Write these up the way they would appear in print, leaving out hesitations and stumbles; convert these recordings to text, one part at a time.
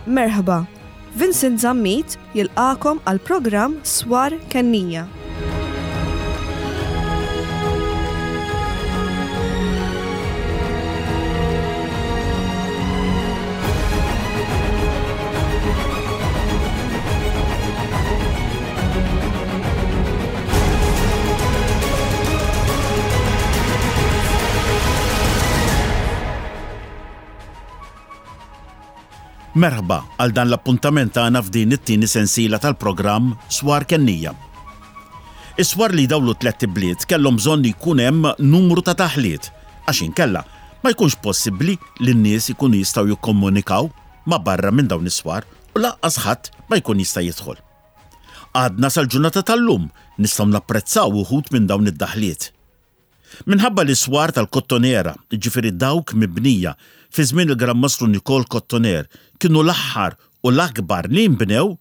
Merħba, Vincent Zammit jilqagħkom għall-programm Swar Kennija. Merħba għal dan l-appuntament tagħna f'din it-tieni sensiela tal-programm Swar Kennija. Is-swar li jdawlu tlett ibliet kellhom bżonn li jkun hemm numru ta' taħliet għax inkella ma jkunx possibbli li n-nies ikunu jistgħu jikkomunikaw ma' barra minn dawn is-swar u lanqas ħadd ma jkun jista' jidħol. Għadna sal-ġurnata tal-lum nistgħu napprezzaw uħud minn dawn id-daħliet. Minħabba li s-swar tal-Kottonera, jiġifieri dawk mibnija fi żmien il-Gran Mastru Nikol Kottoner, kienu l-aħħar u l-akbar li nbnew,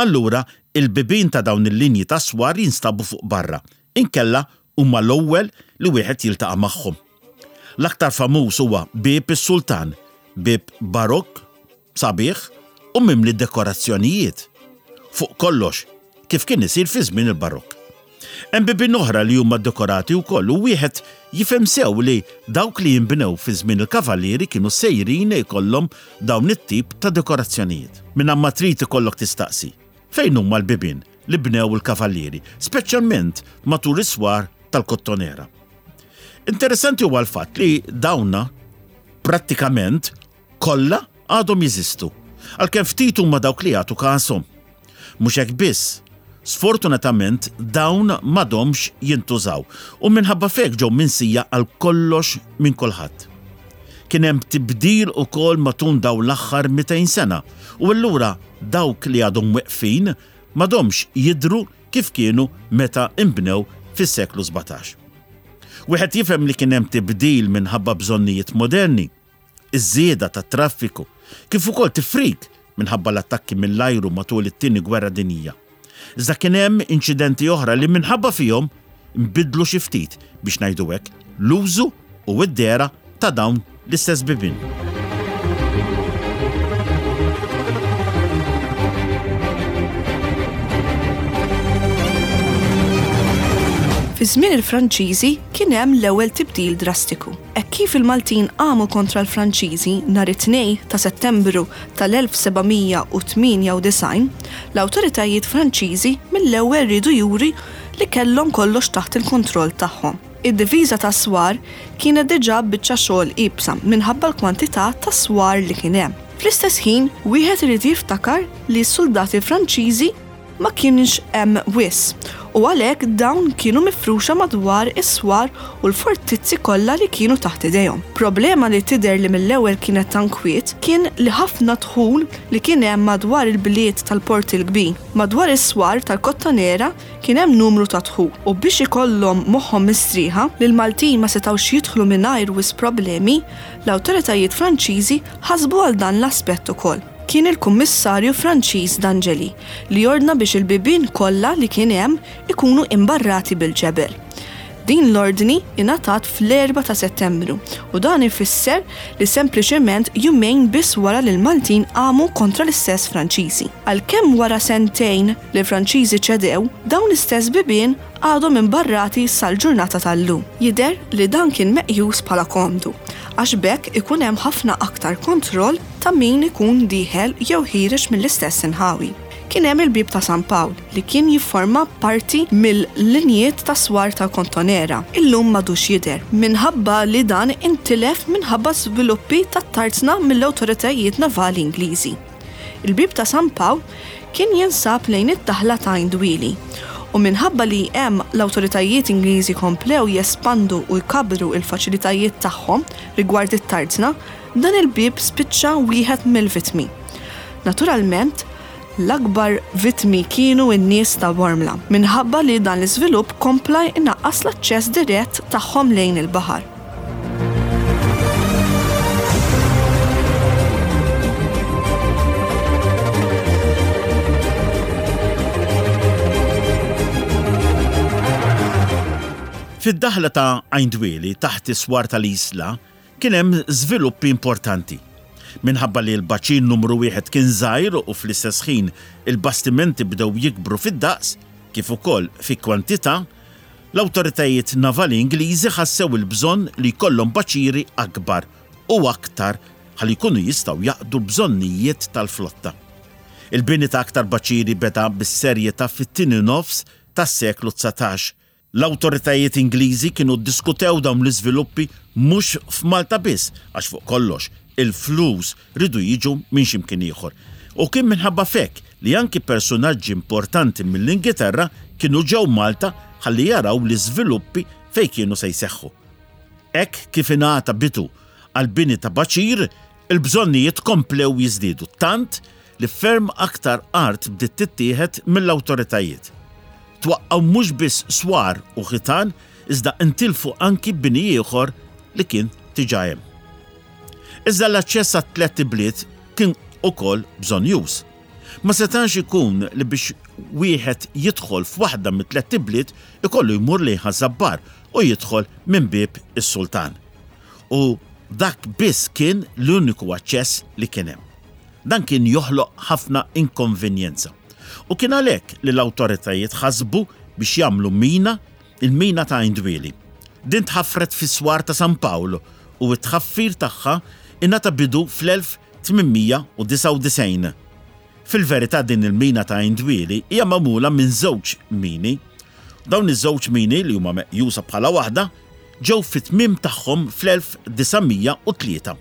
allura il-bibien ta' dawn il-linji ta' swar jinstabu fuq barra, inkella huma l-ewwel li wieħed jiltaqa' magħhom. L-aktar famuż huwa Bieb is-Sultan, bieb Barokk sabiħ u mimli dekorazzjonijiet. Fuq kollox, kif kien isir fi żmien il-Barokk. Hemm bibien oħra li huma ddekorati wkoll u wieħed jifhem sew li dawk li jinbnew fi żmien il-Kavallieri kienu sejrin ikollhom dawn it-tip ta' dekorazzjonijiet. Mingħand ma trid ikollok tistaqsi, fejn huma l-bibien li bnew il-Kavallieri, speċjalment matul is-swar tal-Kottonera? Interessanti huwa l-fatt li dawna prattikament kollha għadhom jeżistu, għalkemm ftit huma dawk li jagħtu kashom. Mhux hekk biss, sfortunatament dawn m'għadhomx jintużaw u minħabba f'hekk ġew minsija għal kollox minn kulħadd. Kien hemm tibdil ukoll matul dawn l-aħħar 200 sena u allura dawk li għadhom weqfin m'għadhomx jidhru kif kienu meta nbnew fis-seklu 17. Wieħed jifhem li kien hemm tibdil minħabba bżonnijiet moderni, iż-żieda tat-traffiku, kif ukoll tifrik minħabba l-attakki mill-ajru matul it-Tieni Gwerra Dinjija. Iżda kien hemm inċidenti oħra li minħabba fihom nbidlu xi ftit, biex ngħidu hekk, l-użu u d-dehra ta' dawn l-istess bibien. Fi żmien il-Franċiżi kien hemm l-ewwel tibdil drastiku. Hekk kif il-Maltin qamu kontra l-Franċiżi nhar it-Tnejn ta' Settembru tal-1798, l-awtoritajiet Franċiżi mill-ewwel riedu juri li kellhom kollox taħt il-kontroll tagħhom. Id-difiża tas-swar kienet diġà biċċa xogħol iebsa minħabba l-kwantità ta' swar li kien hemm. Fl-istess ħin, wieħed irid jiftakar li s-suldati Franċiżi ma kienx hemm wisq u għalhekk dawn kienu mifruxa madwar is-swar u l-fortizzi kollha li kienu taħt idejhom. Problema li tidher li mill-ewwel kienet ta' nkwiet kien li ħafna dħul li kien hemm madwar il-bliet tal-Port il-Kbir. Madwar is-swar tal-Kottonera kien hemm numru ta' dħul u biex ikollhom moħħhom mistrieħa li l-Maltin ma setgħux jidħlu mingħajr wisq problemi, l-awtoritajiet Franċiżi ħasbu għal dan l-aspett ukoll. Kien il-Kummissarju Franċiż D'Angely li ordna biex il-bibien kollha li kien hemm ikunu imbarrati bil-ġebel. Din l-ordni ingħatat fl-erbgħa ta' Settembru u dan ifisser li sempliċement jumejn biss wara li l-Maltin qamu kontra l-istess Franċiżi. Għalkemm wara sentejn li l-Franċiżi ċedew, dawn l-istess bibien għadhom imbarrati sal-ġurnata tal-lum. Jidher li dan kien meqjus bħala komdu għax b'hekk ikun hemm ħafna aktar kontroll ta' min ikun dieħel jew ħiereġ mill-istess inħawi. Kien hemm il-Bieb ta' San Pawl li kien jifforma parti mill-linjiet tas-swar tal-Kontonera. Illum m'għadux jidher, minħabba li dan intilef minħabba żviluppi tat-tarzna mill-awtoritajiet navali Ingliżi. Il-Bieb ta' San Pawl kien jinsab lejn id-daħla ta' Għajn Dwieli u minħabba li hemm l-awtoritajiet Ingliżi komplew jespandu u jkabbru l-faċilitajiet tagħhom rigward it-tarzna, Dan il-bieb spiċċa wieħed mill-vittmi. Naturalment, l-akbar vittmi kienu n-nies ta' Bormla, minħabba li dan l-iżvilupp kompla jnaqqas l-aċċess dirett tagħhom lejn il-baħar. Fid-daħla ta' Għajn Dwieli, taħt is-swar tal-Isla, Kien hemm żviluppi importanti. Minħabba li l-baċir numru wieħed kien żgħir u fl-istess ħin il-bastimenti bdew jikbru fid-daqs kif ukoll fi kwantità, l-awtoritajiet navali Ingliżi ħassew il-bżonn li jkollhom baċiri akbar u aktar ħalli jkunu jistgħu jaqdu l-bżonnijiet tal-flotta. Il-bini ta' aktar baċiri beda bis-serjetà fit-tieni nofs tas-seklu 19. L-awtoritajiet Ingliżi kienu ddiskutew dawn l-iżviluppi mhux f'Malta biss għax fuq kollox il-flus riedu jiġu minn xi mkien ieħor. U kien minħabba f'hekk li anki persunaġġi importanti mill-Ingiterra kienu ġew Malta ħalli jaraw l-iżviluppi fejn kienu se jseħħu. Hekk kif ingħata bidu għall-bini ta' baċir, il-bżonnijiet komplew jiżdiedu tant li ferm aktar art bdiet tittieħed mill-awtoritajiet. Twaqqgħu mhux biss swar u ħitan iżda ntilfu anki bini ieħor li kien diġà hemm. Iżda l-aċċess għat-tlett ibliet kien ukoll bżonnjuż. Ma setax ikun li biex wieħed jidħol f'waħda mit-tlett ibliet ikollu jmur lejn Ħaż-Żabbar u jidħol minn Bieb is-Sultan. U dak biss kien l-uniku aċċess li kien hemm. Dan kien joħloq ħafna inkonvenjenza. U kien għalhekk li l-awtoritajiet ħasbu biex jagħmlu mina, il-mina ta' Għajn Dwieli. Din tħaffret fis-swar ta' San Pawl u t-tħaffir tagħha ingħata bidu fl-1899. Fil-verità din il-mina ta' Għajn Dwieli hija magħmula minn żewġ mini. Dawn iż-żewġ mini li huma meqjusa bħala waħda ġew fit-tmiem tagħhom fl-1903.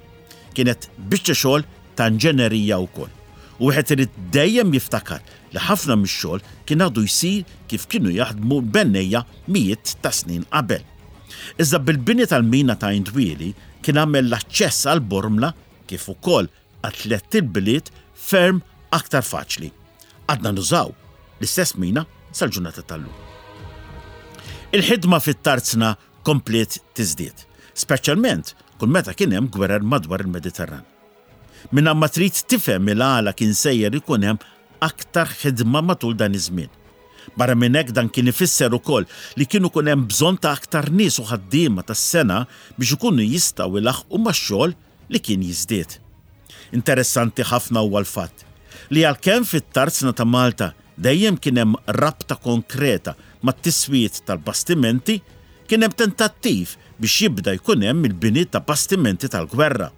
Kienet biċċa xogħol ta' inġenerija wkoll. U wieħed irid dejjem jiftakar li ħafna mix-xogħol kien għadu jsir kif kienu jaħdmu l-bennejja mijiet ta' snin qabel. Iżda bil-bini tal-mina ta' Għajn Dwieli kien għamel l-aċċess għal Bormla kif ukoll għat-tlett ilbliet ferm aktar faċli. Għadna nużaw l-istess mina sal-ġurnata tal-lum. Il-ħidma fit-tarzna kompliet tiżdied, speċjalment kull meta kien hemm gwerer madwar il-Mediterran. Mingħajr ma trid tifhem il-għala kien sejjer ikun hemm aktar ħidma matul dan iż-żmien. Barra minn hekk dan kien ifisser ukoll li kien ikun hemm bżonn ta' aktar nies u ħaddiema tas-sengħa biex ikunu jistgħu jlaħħqu max-xogħol li kien jiżdied. Interessanti ħafna huwa l-fatt li għalkemm fit-tarzna ta' Malta dejjem kien hemm rabta konkreta mat-tiswijiet tal-bastimenti, kien hemm tentattiv biex jibda jkun hemm il-bini ta' bastimenti tal-gwerra.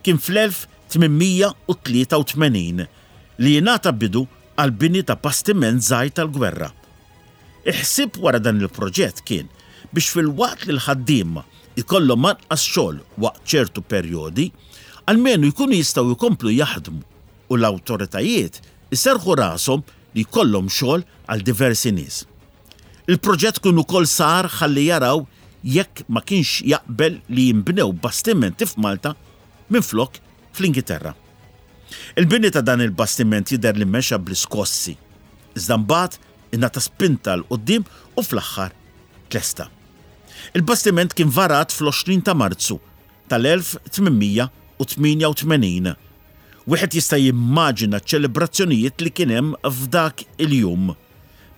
Kien fl-1883 li ingħata bidu għall-bini ta' bastiment żgħir tal-gwerra. Il-ħsieb wara dan il-proġett kien biex filwaqt li l-ħaddiema jkollhom anqas xogħol waqt ċertu perjodi, almenu jkunu jistgħu jkomplu jaħdmu u l-awtoritajiet iserrħu rashom li jkollhom xogħol għal diversi nies. Il-proġett kien ukoll sar ħalli jaraw jekk ma kienx jaqbel li jinbnew bastimenti f'Malta minflok fl-Ingiterra. Il-bini ta' dan il-bastiment jidher li mexa bl-iskossi, iżda mbagħad ingħata spinta 'l quddiem u fl-aħħar tlesta. Il-bastiment kien varat fl-20 ta' Marzu tal-1888. Wieħed jista' jimmaġina ċ-ċelebrazzjonijiet li kien hemm f'dak il-jum.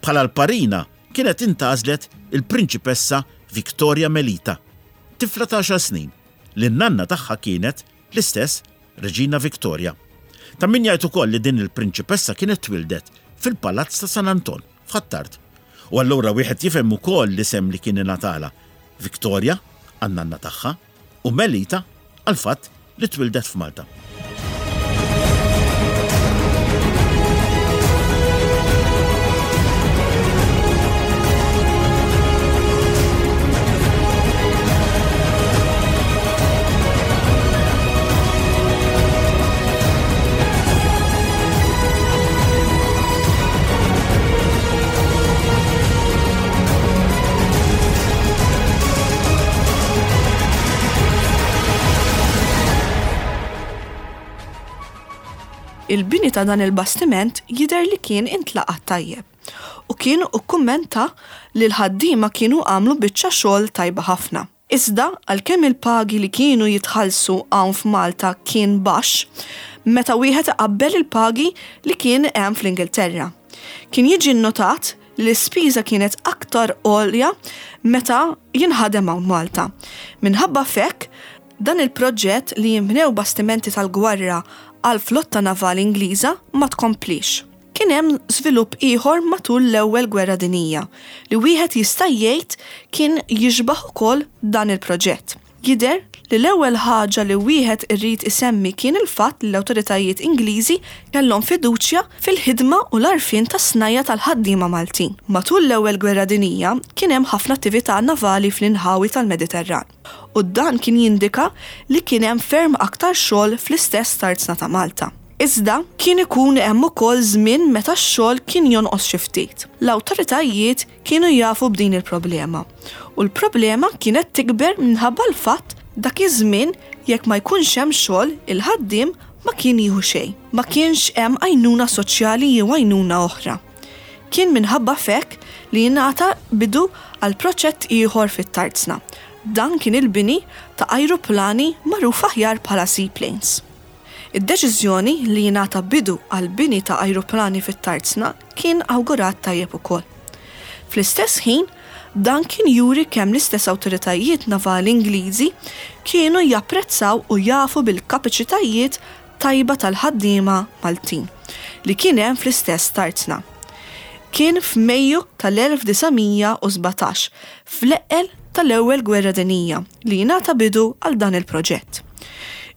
Bħala l-parina kienet intgħażlet il-Prinċipessa Victoria Melita, tifla ta' għaxar snin, li n-nanna tagħha kienet l-istess Reġina Victoria. Ta' min jgħid ukoll li din il-prinċipessa kienet twieldet fil-Palazz ta' San Anton, f'Ħ'Attard. U allura wieħed jifhem ukoll l-isem li kien ingħatalha, Victoria għan-nanna tagħha u Melita għall-fatt li twieldet f'Malta. Il-bini ta' dan il-bastiment jidher li kien intlaqa' tajjeb u kien ukkummenta li l-ħaddiema kienu għamlu biċċa xogħol tajba ħafna. Iżda, għalkemm il-pagi li kienu jitħallsu hawn f'Malta kien baxx, meta wieħed iqabbel il-pagi li kien hemm fl-Ingilterra. Kien jiġi nnotat li l-ispiża kienet aktar għolja meta jinħadem hawn Malta. Minħabba f'hekk, Dan il-proġett li jinbnew bastimenti tal-gwerra għall-flotta navali Ingliża ma tkompliex. Kien hemm żvilupp ieħor matul l-Ewwel Gwerra Dinjija li wieħed jista' jgħid kien jixbah ukoll dan il-proġett. Jidher li l-ewwel ħaġa li wieħed irrid isemmi kien il-fatt li l-awtoritajiet Ingliżi kellhom fiduċja fil-ħidma u l-għarfien tas-snajja' tal-ħaddiema Maltin. Matul l-Ewwel Gwerra Dinjija kien hemm ħafna attività navali fl-inħawi tal-Mediterran u dan kien jindika li kien hemm ferm aktar xogħol fl-istess tarzna ta' Malta. Iżda, kien ikun hemm ukoll żmien meta x-xogħol kien jonqos xi ftit. L-awtoritajiet kienu jafu b'din il-problema u l-problema kienet tikber minħabba l-fatt dak iż-żmien jekk ma jkunx hemm xogħol il-ħaddiem ma kien jieħu xejn. Ma kienx hemm għajnuna soċjali jew għajnuna oħra. Kien minħabba f'hekk li ingħata bidu għal proċett ieħor fit-tarzna. Dan kien il-bini ta' ajruplani magħruf aħjar bħala seaplanes. Id-deċiżjoni li jingħata bidu għall-bini ta' ajruplani fit-tarzna kien awgurat tajjeb ukoll. Fl-istess ħin, dan kien juri kemm l-istess awtoritajiet navali Ingliżi kienu japprezzaw u jafu bil-kapaċitajiet tajba tal-ħaddiema Maltin li kien hemm fl-istess tarzna. Kien f'Mejju tal-1917, fl-eqqel tal-Ewwel Gwerra Dinjija, li jingħata bidu għal dan il-proġett.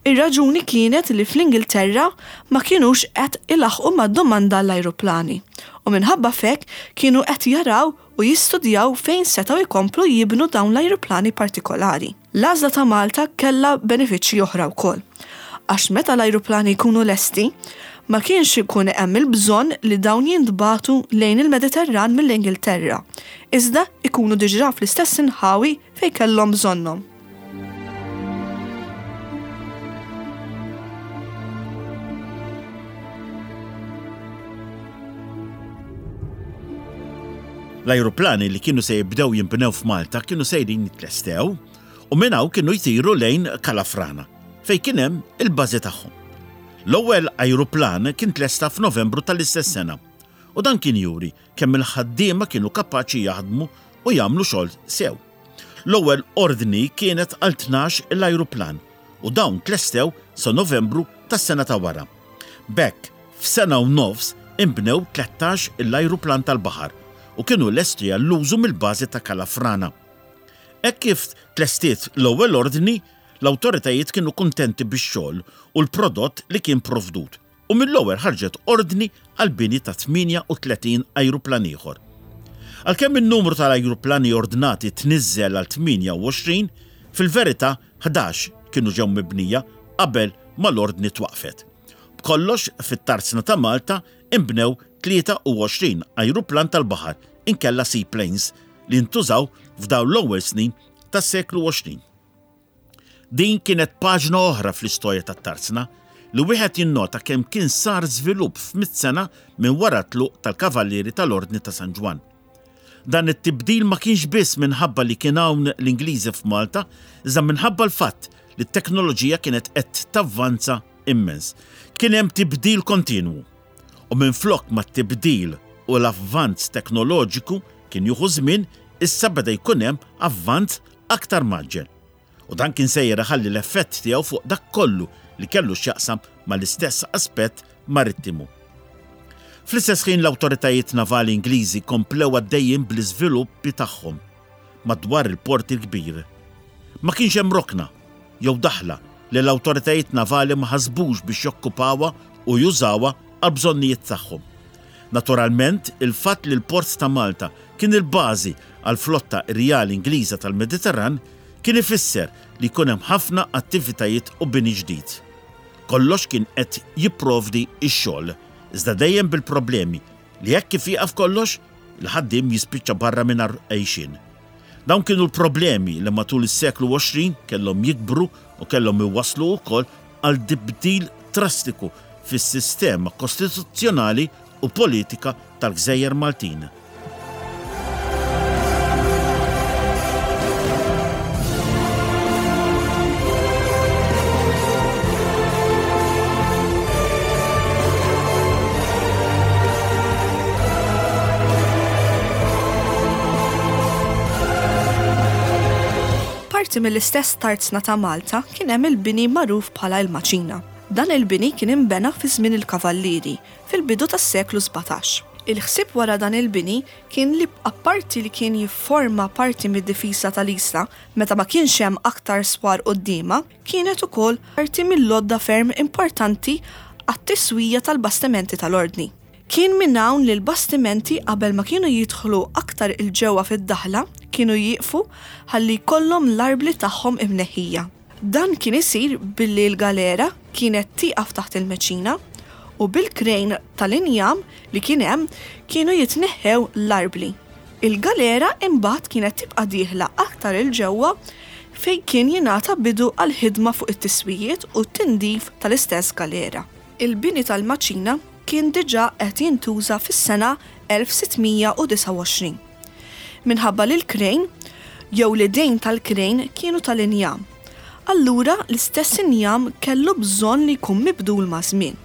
Ir-raġuni kienet li fl-Ingilterra ma kinux qed ilaħħqu mad-domanda għall-ajruplani u minħabba f'hekk kienu qed jaraw u jistudjaw fejn setgħu jkomplu jibnu dawn l-ajruplani partikolari. L-għażla ta' Malta kellha benefiċċji oħra wkoll, għax meta l-ajruplani jkunu lesti, ma kienx ikun hemm il-bżonn li dawn jintbagħtu lejn il-Mediterran mill-Ingilterra, iżda jkunu diġà fl-istess inħawi fejn kellhom bżonnhom. L-ajruplani li kienu se jibdew jinbnew f'Malta kienu sejrin jitlestew u minn hawn kienu jtiru lejn Kalafrana, fejn kien hemm il-bażi tagħhom. L-ewwel ajruplan kien tlesta f'Novembru tal-istess sena u dan kien juri kemm il-ħaddiema kienu kapaċi jaħdmu u jagħmlu xogħol sew. L-ewwel ordni kienet għal 12 il-ajruplan u dawn tlestew sa Novembru tas-sena ta' wara. B'hekk, f'sena u nofs inbnew 13 il-ajruplan tal-baħar u kienu lesti għall-użu mill-bażi ta' Kalafrana. Hekk kif tlestiet l-ewwel ordni, l-awtoritajiet kienu kuntenti bix-xogħol u l-prodott li kien provdut u mill-ewwel ħarġet ordni għall-bini ta' 38 ajruplan ieħor. Għalkemm in-numru tal-ajruplani ordnati tniżżel għal 28, fil-verità 11 kienu ġew mibnija qabel ma l-ordni twaqqfet. B'kollox fit-tarzna ta' Malta inbnew 23 ajruplan tal-baħar inkella seaplanes li ntużaw f'dawn l-ewwel snin tas-seklu 20. Din kienet paġna oħra fl-istorja tat-tarzna li wieħed jinnota kemm kien sar żvilupp f'mitt sena minn wara t-tluq tal-Kavallieri tal-Ordni ta' San Ġwann. Dan it-tibdil ma kienx biss minħabba li kien hawn l-Ingliżi f'Malta, iżda minħabba l-fatt li t-teknoloġija kienet qed tavvanza immens. Kien hemm tibdil kontinwu. U minflok ma t-tibdil u l-avvanz teknoloġiku kien jieħu żmien, issa beda jkun hemm avvanz aktar mgħaġġel. U dan kien sejjer iħalli l-effett tiegħu fuq dak kollu li kellu x'jaqsam mal-istess aspett marittimu. Fl-istess ħin l-awtoritajiet navali Ingliżi komplew għaddejjin bl-iżviluppi tagħhom madwar il-Port il-Kbir. Ma kienx hemm rokna jew daħla li l-awtoritajiet navali ma ħasbux biex jokkupawha u jużawha għall-bżonnijiet tagħhom. Naturalment, il-fatt li l-Port ta' Malta kien il-bażi għall-flotta Rjali Ingliża tal-Mediterran kien ifisser li jkun hemm ħafna attivitajiet u bini ġdid. Kollox kien qed jipprovdi x-xogħol, iżda dejjem bil-problemi li hekk kif jieqaf kollox, il-ħaddiem jispiċċa barra mingħajr għejxien. Dawn kienu l-problemi li matul is-seklu 20 kellhom jikbru u kellhom iwasslu wkoll għal tibdil drastiku fis-sistema kostituzzjonali u politika tal-gżejjer Maltin. Parti mill-istess tarzna ta' Malta kien hemm il-bini magħruf bħala il-Maċina. Dan il-bini kien inbena fi żmien il-Kavallieri, fil-bidu tas-seklu 17. Il-ħsieb wara dan il-bini kien li apparti li kien jifforma parti mid-difiża tal-Isla meta ma kienx hemm aktar swar quddiemha, kienet ukoll parti mill-għodda ferm importanti għat-tiswija tal-bastimenti tal-Ordni. Kien minn hawn li l-bastimenti qabel ma kienu jidħlu aktar 'il ġewwa fid-daħla kienu jieqfu ħalli jkollhom l-arbli tagħhom imneħħija. Dan kien isir billi l-galera kienet tieqaf taħt il-meċina u bil-krejn tal-injam li kien hemm kienu jitneħħew l-arbli. Il-galera imbagħad kienet tibqa' dieħla aktar 'il ġewwa fejn kien jingħata bidu għall-ħidma fuq it-tiswijiet u t-tindif tal-istess galera. Il-bini tal-maċina kien diġà qed jintuża fis-sena 1629. Minħabba li l-krejn, jew l-idejn tal-krejn kienu tal-injam, allura l-istess injam kellu bżonn li jkun mibdul maż-żmien.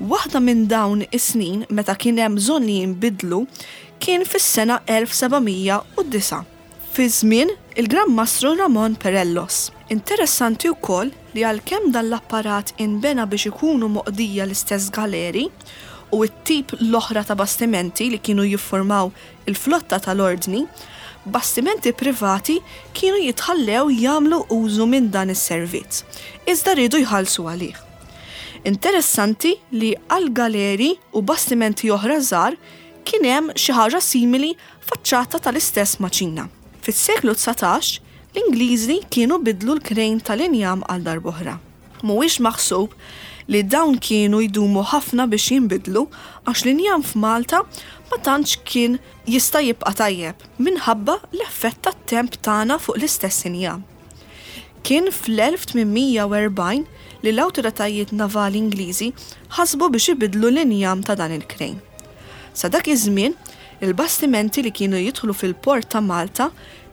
Waħda minn dawn is-snin meta kien hemm bżonn li jinbidlu kien fis-sena 1709. Fi żmien il-Gran Mastru Ramon Perellos. Interessanti wkoll li għalkemm dan l-apparat inbena biex ikunu moqdija l-istess galeri u t-tip l-oħra ta' bastimenti li kienu jiffurmaw il-flotta tal-Ordni, bastimenti privati kienu jitħallew jagħmlu użu minn dan is-servizz, iżda riedu jħallsu għalih. Interessanti li għal galeri u bastimenti oħra żgħar kien hemm xi ħaġa simili faċċata tal-istess maċina. Fis-seklu 19, l-Ingliżi kienu biddlu l-krejn tal-injam għal darb'oħra. Mhuwiex maħsub li dawn kienu jdumu ħafna biex jinbidlu għax l-injam f'Malta ma tantx kien jista' jibqa' tajjeb minħabba l-effett tat-temp tagħna fuq l-istess injam. Kien fl-1840 li l-awtoritajiet navali Ingliżi ħasbu biex ibiddlu l-injam ta' dan il-krejn. Sa dak iż-żmien, il-bastimenti li kienu jidħlu fil-port ta' Malta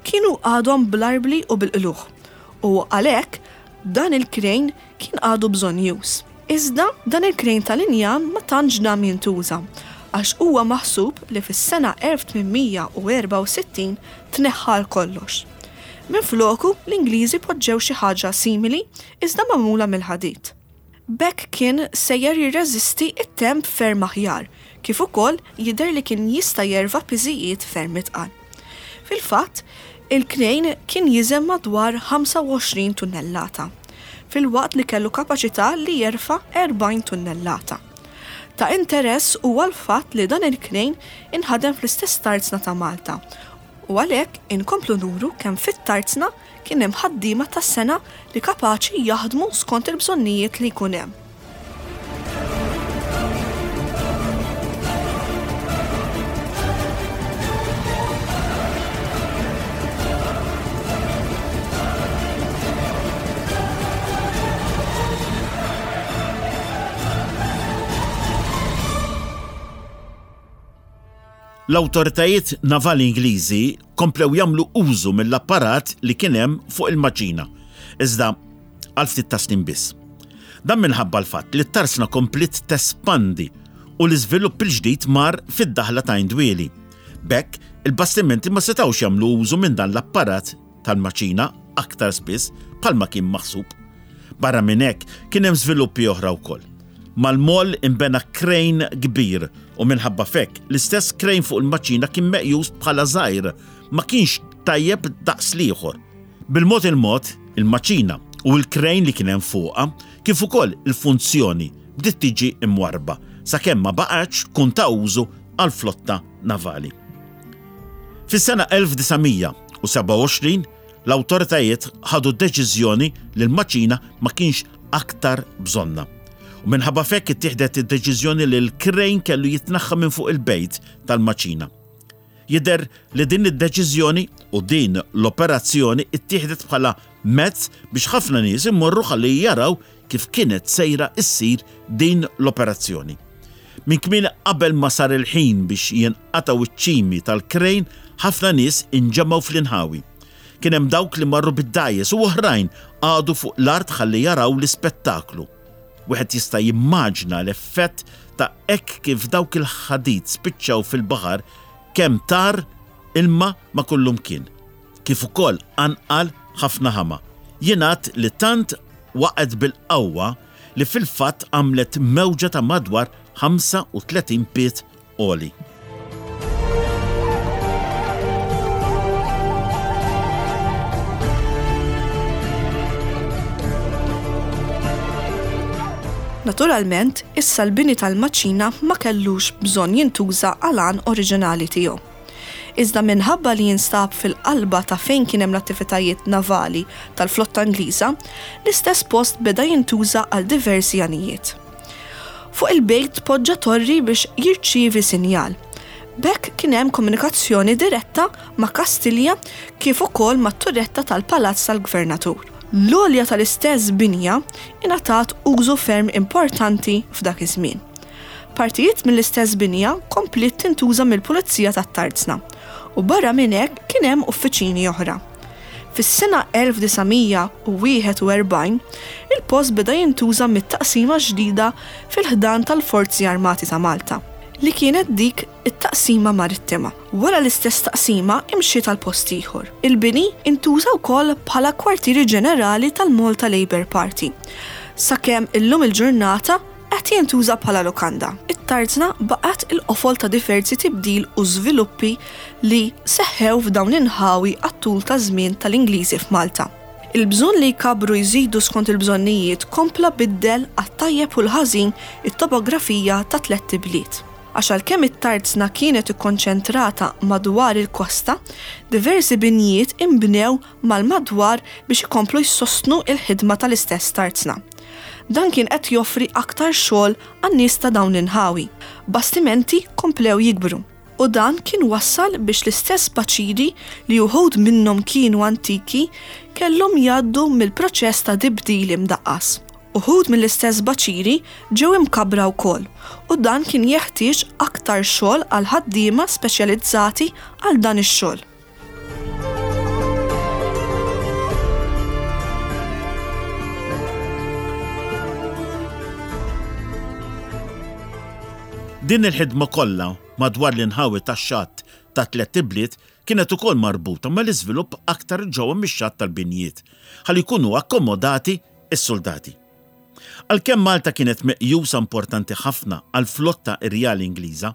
kienu għadhom bl-arbli u bil-qlugħ u għalhekk dan il-krejn kien għadu bżonnjuż. Iżda dan il-krejn tal-injam ma tantx dam jintuża għax huwa maħsub li fis-sena 1864 tneħħa għal kollox. Minfloku, l-Ingliżi poġġew xi ħaġa simili iżda magħmula mill-ħadid. B'hekk kien sejjer jirreżisti t-temp ferm aħjar, kif ukoll jidher li kien jista' jerfa' piżijiet ferm itqal. Fil-fatt, il-krejn kien jiżen madwar 25 tunnellata, filwaqt li kellu kapaċità li jerfa' 40 tunnellata. Ta' interess huwa l-fatt li dan il-krejn inħadem fl-istess tarzna ta' Malta u għalhekk inkomplu nuru kemm fit-tarzna kien hemm ħaddiema tas-sengħa li kapaċi jaħdmu skont il-bżonnijiet li jkun hemm. L-awtoritajiet navali Ingliżi komplew jagħmlu użu mill-apparat li kien hemm fuq il-maċina, iżda għal ftit ta' snin biss. Dan minħabba l-fatt li t-tarsna kompliet tespandi u l-iżvilupp il-ġdid mar fid-daħla ta' Indwieli. B'hekk, il-bastimenti ma setgħux jagħmlu użu minn dan l-apparat tal-maċina aktar spiss bħalma kien maħsub. Barra minn hekk, kien hemm żviluppi oħra wkoll. Mal-moll inbena krejn kbir u minħabba f'hekk l-istess krejn fuq il-maċina kien meqjus bħala żgħir, ma kienx tajjeb daqs l-ieħor. Bil-mod il-mod, il-maċina u l-krejn li kien hemm fuqha, kif ukoll il-funzjoni bdiet tiġi mwarrba sakemm ma baqgħetx tkun ta' użu għall-flotta navali. Fis-sena 1927, l-awtoritajiet ħadu deċiżjoni li l-maċina ma kienx aktar bżonnha. U minħabba f'hekk ittieħdet id-deċiżjoni li l-krejn kellu jitnaħħa minn fuq il-bejt tal-maċina. Jidher li din id-deċiżjoni u din l-operazzjoni ttieħdet bħala mezz biex ħafna nies imorru ħalli jaraw kif kienet sejra ssir din l-operazzjoni. Minn kmieni qabel ma sar il-ħin biex jinqatgħu ċ-ċimi tal-krejn, ħafna nies inġemgħu fl-inħawi. Kien hemm dawk li marru bid-dgħajjes u oħrajn qagħdu fuq l-art ħalli jaraw l-ispettaklu. Wieħed jista' jimmaġina l-effett ta' hekk kif dawk il-ħadid spiċċaw fil-baħar kemm tar ilma ma' kullumkien, kif ukoll qanqal ħafna ħama. Jingħad li tant waqgħet bil-qawwa li fil-fatt għamlet mewġa ta' madwar 35 pied għoli. Naturalment, issa l-bini tal-maċina ma kellux bżonn jintuża għal għan oriġinali tiegħu. Iżda minħabba li jinstab fil-qalba ta' fejn kien hemm l-attivitajiet navali tal-flotta Ingliża, l-istess post beda jintuża għal diversi għanijiet. Fuq il-bejt tpoġġa torri biex jirċievi sinjal. B'hekk kien hemm komunikazzjoni diretta ma' Kastilja kif ukoll mat-turretta tal-palazz tal-gvernatur. L-għolja tal-istess binja ingħatat użu ferm importanti f'dak iż-żmien. Partijiet mill-istess binja kompliet tintuża mill-Pulizija tat-Tarzna u barra minn hekk kien hemm uffiċini oħra. Fis-sena 1941, il-post beda jintuża mit-taqsima ġdida fil-ħdan tal-Forzi Armati ta' Malta, li kienet dik it-Taqsima Marittima. Wara l-istess taqsima imxiet għal post ieħor. Il-bini intuża wkoll bħala kwartieri ġenerali tal-Malta Labour Party, sakemm illum il-ġurnata Qed jintuża bħala lukanda. It-tarzna baqgħet il-qofol ta' diversi tibdil u żviluppi li seħħew f'dawn l-inħawi għat-tul taż-żmien tal-Ingliżi f'Malta. Il-bżonn li jkabbru jżidu skont il-bżonnijiet kompla biddel għat-tajjeb u l-ħażin it-topografija tat-tlett ibliet. Għax għalkemm it-tarzna kienet ikkonċentrata madwar il-kosta, diversi binjiet inbnew mal-madwar biex ikomplu jsostnu l-ħidma tal-istess tarzna. Dan kien qed joffri aktar xogħol għan-nies ta' dawn l-inħawi. Bastimenti komplew jikbru u dan kien wassal biex l-istess baċiri li uħud minnhom kienu antiki kellhom jgħaddu mill-proċess ta' tibdil imdaqqas. Uħud mill-istess baċiri ġew imkabbra wkoll u dan kien jeħtieġ aktar xogħol għal ħaddiema speċjalizzati għal dan ix-xogħol. Din il-ħidma kollha madwar l-inħawi tax-xatt ta' tlett ibliet kienet ukoll marbuta mal-iżvilupp aktar ġewwa mix-xatt tal-binjiet ħalli jkunu akkomodati s-suldati. Għalkemm Malta kienet meqjusa importanti ħafna għall-flotta Irjali Ingliża,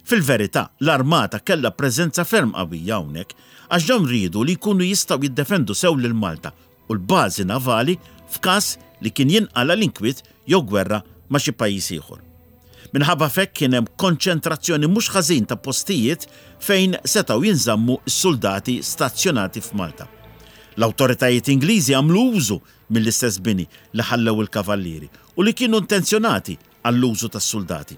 Fil-verità, l-armata kellha preżenza ferm qawwija hawnhekk għax dawn riedu li jkunu jistgħu jiddefendu sew lil Malta u l-bażi navali f'każ li kien jinqala' l-inkwiet jew gwerra ma' xi pajjiż ieħor. Minħabba f'hekk kien hemm konċentrazzjoni mhux ħażin ta' postijiet fejn setgħu jinżammu s-suldati stazzjonati f'Malta. L-awtoritajiet Ingliżi għamlu użu mill-istess bini li ħallew il-Kavallieri u li kienu intenzjonati għall-użu tas-suldati.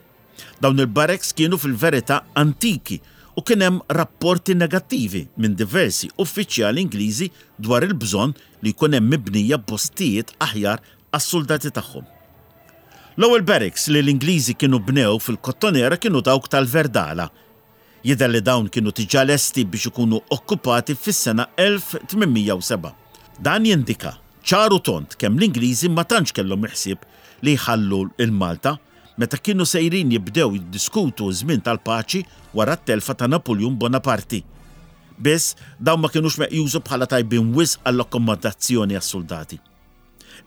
Dawn il-barracks kienu fil-verità antiki u kien hemm rapporti negattivi minn diversi uffiċjali Ingliżi dwar il-bżonn li jkun hemm mibnija postijiet aħjar għas-suldati tagħhom. L-ewwel barracks li l-Ingliżi kienu bnew fil-Kottonera kienu dawk tal-Verdala. Jidher li dawn kienu diġà lesti biex ikunu okkupati fis-sena 1807. Dan jindika ċar u tond kemm l-Ingliżi ma tantx kellhom il-ħsieb li jħallu 'l Malta meta kienu sejrin jibdew jiddiskutu ż-żmien tal-paċi wara t-telfa ta' Napuljun Bonaparti. Biss, dawn ma kinux meqjusa bħala tajbin wisq għall-akkomodazzjoni għas-suldati.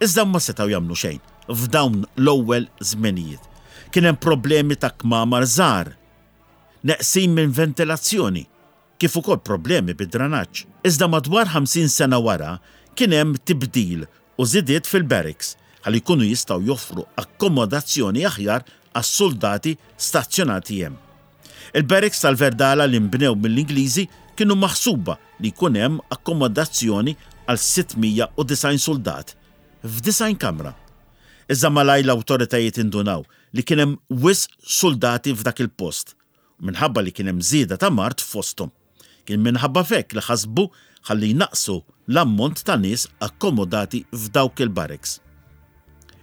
Iżda ma setgħu jagħmlu xejn f'dawn l-ewwel żmenijiet. Kien hemm problemi ta' kmamar żgħar, neqsin minn ventilazzjoni, kif ukoll problemi bid-dranaġġ. Iżda madwar 50 sena wara kien hemm tibdil u żidiet fil-barracks ħalli jkunu jistgħu joffru akkomodazzjoni aħjar għas-suldati stazzjonati hemm. Il-barracks tal-Verdala li nbnew mill-Ingliżi kienu maħsuba li jkun hemm akkomodazzjoni għal 690 suldat f'90 kamra. Iżda malajr l-awtoritajiet indunaw li kien hemm wisq suldati f'dak il-post u minħabba li kien hemm żieda ta' mard fosthom. Kien minħabba f'hekk li ħasbu ħalli jnaqqsu l-ammont ta' nies akkomodati f'dawk il-barracks.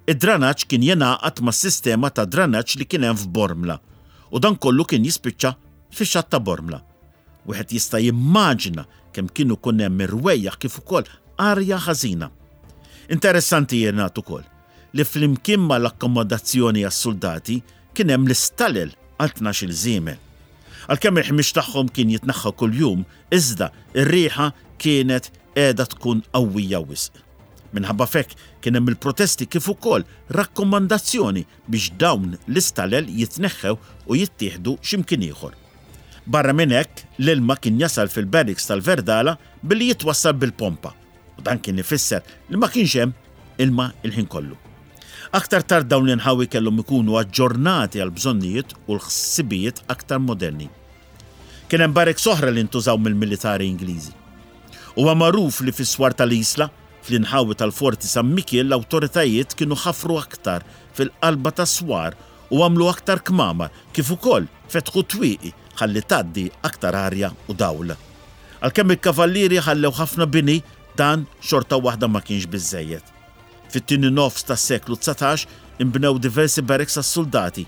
Id-dranaġġ kien jingħaqad mas-sistema ta' dranaġġ li kien hemm f'Bormla u dan kollu kien jispiċċa fix-xatt ta' Bormla. Wieħed jista' jimmaġina kemm kien ikun hemm irwejjaħ kif ukoll arja ħażina. Interessanti jingħad ukoll li flimkien mal-akkomodazzjoni għas-suldati kien hemm l-istalel għal 12-il żiemel. Għalkemm il-ħmieġ tagħhom kien jitneħħa kuljum, iżda r-riħa kienet qiegħda tkun qawwija wisq. Minħabba f'hekk kien hemm il-protesti kif ukoll rakkomandazzjoni biex dawn l-istalel jitneħħew u jittieħdu xi mkien ieħor. Barra minn hekk, l-ilma kien jasal fil-barracks tal-Verdala billi jitwassal bil-pompa u dan kien ifisser li ma kienx hemm ilma l-ħin kollu. Aktar tard dawn l-inħawi kellhom ikunu aġġornati għall-bżonnijiet u l-ħsibijiet aktar moderni. Kien hemm barracks oħra li ntużaw mill-militari Ingliżi. Huwa magħruf li fis-swar tal-Isla, fl-inħawi tal-Forti San Mikiel l-awtoritajiet kienu ħafru aktar fil-qalba tas-swar u għamlu aktar kmamar kif ukoll fetħu twieqi ħalli tgħaddi aktar arja u dawl. Għalkemm il-Kavallieri ħallew ħafna bini, dan xorta waħda ma kienx biżżejjed. Fit-tieni nofs tas-seklu 19 inbnew diversi barracks għas-suldati.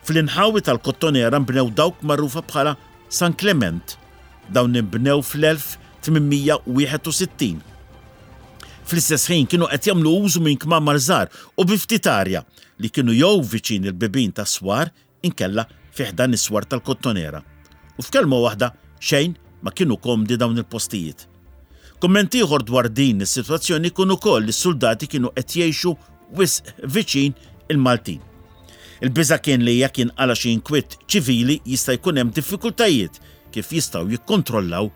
Fl-inħawi tal-Kottonera nbnew dawk magħrufa bħala San Klement. Dawn inbnew fl-1861. Fl-istess ħin kienu qed jagħmlu użu minn kmamar żgħar u bi ftit arja li kienu jew viċin il-bibien tas-swar inkella fi ħdan is-swar tal-Kottonera. U f'kelma waħda, xejn ma kienu komdi dawn il-postijiet. Kumment ieħor dwar din is-sitwazzjoni kien ukoll li s-suldati kienu qed jgħixu wisq viċin il-Maltin. Il-biża' kien li jekk jinqala' xi inkwiet ċivili jista' jkun hemm diffikultajiet kif jistgħu jikkontrollaw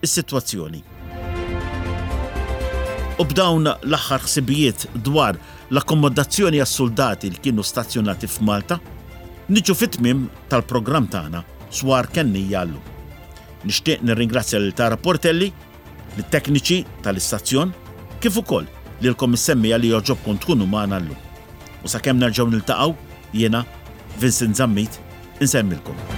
is-sitwazzjoni. U b'dawn l-aħħar ħsibijiet dwar l-akkomodazzjoni għas-suldati li kienu stazzjonati f'Malta, niġu fit-tmiem tal-programm tagħna Swar Kennija llum. Nixtieq nirringrazzja lil Tara Portelli, lit-tekniċi tal-istazzjon, kif ukoll lilkom is-semmiegħa li jogħġobkom tkunu magħna llum. U sakemm nerġgħu niltaqgħu, jiena, Vincent Zammit, insellmilkom.